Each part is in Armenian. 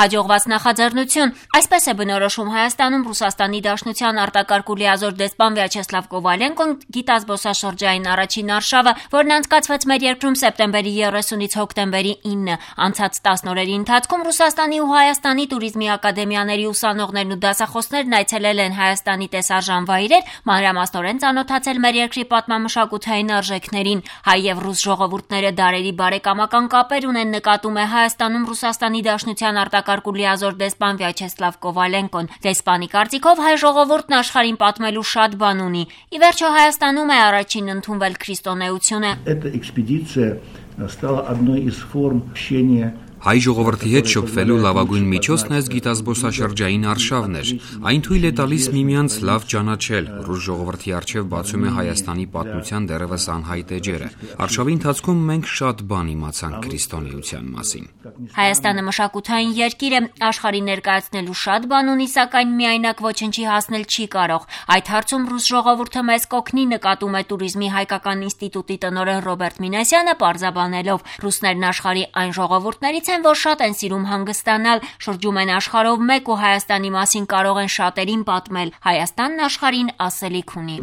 Հաջողված նախաձեռնություն, այսպես է բնորոշում Հայաստանում Ռուսաստանի Դաշնության արտակարգ ու լիազոր դեսպան Վյաչեսլավ Կովալենկոն գիտազբոսաշրջային առաջին արշավը, որն անցկացվեց մեր երկրում սեպտեմբերի 30-ից հոկտեմբերի 9-ը։ Անցած 10 օրերի ընթացքում Ռուսաստանի ու Հայաստանի туриզմի ակադեմիաների ուսանողներն ու դասախոսներն այցելել են Հայաստանի տեսարժան վայրեր, մանրամասնորեն ծանոթացել մեր երկրի պատմամշակութային արժեքներին։ Հայ եւ ռուս ժողովուրդները դարերի բարեկամական կապեր ունեն, նկատում է Հայաստանում Ռուսաստանի Դաշնության արտակարգ ու լիազոր դեսպան Վյաչեսլավ Կովալենկոն։ Դեսպանի կարծիքով հայ ժողովուրդն աշխարհին պատմելու շատ բան ունի։ Ի վերջո Հայաստանում է առաջին ընդունվել քրիստոնեությունը։ Эта экспедиция стала одной из форм общения. Հայ ժողովրդի հետ շփվելու լավագույն միջոցն այս գիտազբոսաշրջային արշավն էր։ Այն թույլ է տալիս միմյանց լավ ճանաչել։ Ռուս ժողովրդի առջև բացում է Հայաստանի պատմության դեռևս անհայտ էջերը։ Արշավի ընթացքում մենք շատ բան իմացանք քրիստոնեության մասին։ Հայաստանը մշակութային երկիր է, աշխարհի ներկայացնելու շատ բան ունի, սակայն միայնակ ոչնչի հասնել չի կարող։ Այդ հարցում ռուս ժողովուրդը մեզ կօգնի, նկատում է туриզմի հայկական ինստիտուտի տնօրեն Ռոբերտ Մինասյանը, պարզաբանելով. ռուսներն աշխարհի այն ժողովուրդներից են, որ շատ են սիրում հանգստանալ, շրջում են աշխարհով մեկ ու Հայաստանի մասին կարող են շատերին պատմել։ Հայաստանն աշխարհին ասելիք ունի։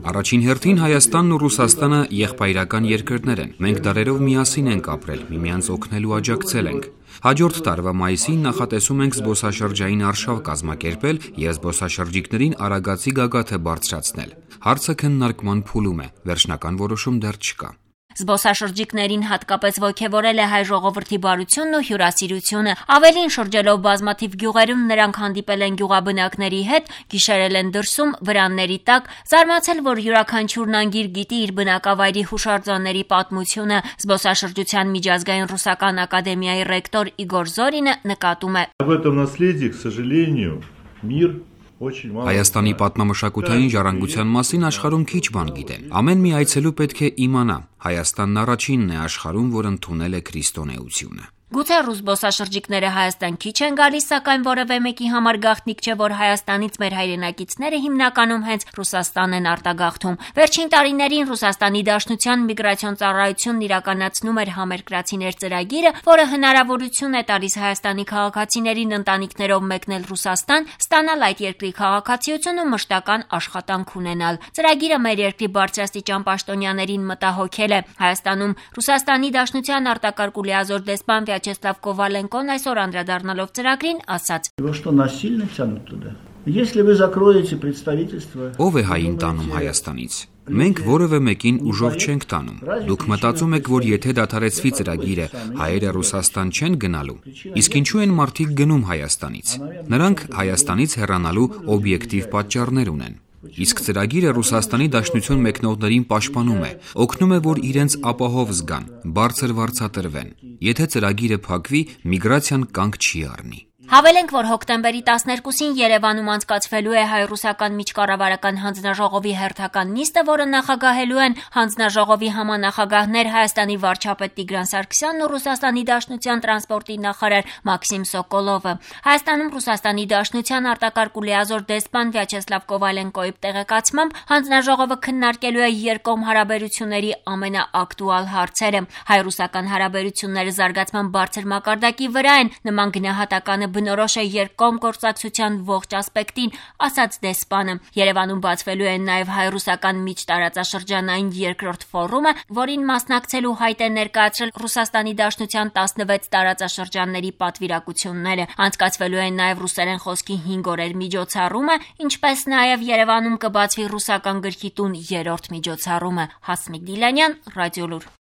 Առաջին հերթին Հայաստանն ու Ռուսաստանը եղբայրական երկրներ են։ Մենք դարերով միասին ենք ապրել, միմյանց օգնելու աջակցել ենք։ Հաջորդ տարվա մայիսին նախատեսում ենք զբոսաշրջային արշավ կազմակերպել եւ զբոսաշրջիկներին Արագածի գագաթը բարձրացնել։ Հարցը քննարկման փուլում է, վերջնական որոշում դեռ չկա։ Զբոսաշրջիկներին հատկապես ոգևորել է հայ ժողովրդի բարությունն ու հյուրասիրությունը։ Ավելին, շրջելով բազմաթիվ գյուղերում, նրանք հանդիպել են գյուղաբնակների հետ, գիշերել են դրսում, վրանների տակ, զարմացել, որ յուրաքանչյուրն անգիր գիտի իր բնակավայրի հուշարձանների պատմությունը։ Զբոսաշրջության միջազգային ռուսական ակադեմիայի ռեկտոր Իգոր Զորինը նկատում է. Об этом наследии, к сожалению, мир Հայաստանի պատմամշակութային ժառանգության մասին աշխարհում քիչ բան գիտեն։ Ամեն մի այցելու պետք է իմանա. Հայաստանն առաջինն է աշխարհում, որ ընդունել է քրիստոնեությունը։ Գուցե ռուս զբոսաշրջիկները Հայաստան քիչ են գալիս, սակայն որևէ մեկի համար գաղտնիք չէ, որ Հայաստանից մեր հայրենակիցները հիմնականում հենց Ռուսաստան են արտագաղթում։ Վերջին տարիներին Ռուսաստանի Դաշնության միգրացիոն ծառայությունն իրականացնում էր համերկրացիներ ծրագիրը, որը հնարավորություն է տալիս Հայաստանի քաղաքացիներին ընտանիքներով մեկնել Ռուսաստան, ստանալ այդ երկրի քաղաքացիություն ու մշտական աշխատանք ունենալ։ Ծրագիրը մեր երկրի բարձրաստիճան պաշտոնյաներին մտահոգել է։ Հայաստանում Ռուսաստանի Դաշնության արտակարգ ու լիազոր դեսպան Վյաչեսլավ Կովալենկոն այսօր անդրադառնալով ծրագրին ասաց. Ով է հային տանում Հայաստանից։ Մենք որևէ մեկին ուժով չենք տանում։ Դուք մտածում եք, որ եթե դադարեցվի ծրագիրը, հայերը Ռուսաստան չեն գնալու։ Իսկ ինչու են մարդիկ գնում Հայաստանից։ Նրանք Հայաստանից հեռանալու օբյեկտիվ պատճառներ ունեն։ Իսկ ծրագիրը Ռուսաստանի Դաշնություն մեկնողներին պաշտպանում է, օգնում է, որ իրենց ապահով զգան, բարձր վարձատրվեն։ Եթե ծրագիրը փակվի, միգրացիան կանգ չի առնի։ Հավելենք, որ հոկտեմբերի 12-ին Երևանում անցկացվելու է հայ-ռուսական միջկառավարական հանձնաժողովի հերթական նիստը, որը նախագահելու են հանձնաժողովի համանախագահներ Հայաստանի վարչապետ Տիգրան Սարգսյանն ու Ռուսաստանի Դաշնության տրանսպորտի նախարար Մաքսիմ Սոկոլովը։ Հայաստանում Ռուսաստանի Դաշնության արտակարգ ու լիազոր դեսպան Վյաչեսլավ Կովալենկոյի տեղեկացմամբ հանձնաժողովը քննարկելու է երկկողմ հարաբերությունների ամենաակտուալ հարցերը։ Հայ-ռուսական հարաբերությունները զարգացման բարձր մակարդակի վրա են, նման գնահատականը բնորոշ է երկկողմ գործակցության ողջ ասպեկտին, ասաց դեսպանը։ Երևանում բացվելու է նաև հայ-ռուսական միջտարածաշրջանային երկրորդ ֆորումը, որին մասնակցելու հայտ է ներկայացրել Ռուսաստանի Դաշնության 16 տարածաշրջանների պատվիրակությունները։ Անցկացվելու են նաև ռուսերեն խոսքի 5 օրեր միջոցառումը, ինչպես նաև Երևանում կբացվի ռուսական գրքի տուն 3-րդ միջոցառումը։ Հասմիկ Դիլանյան, Ռադիոլուր։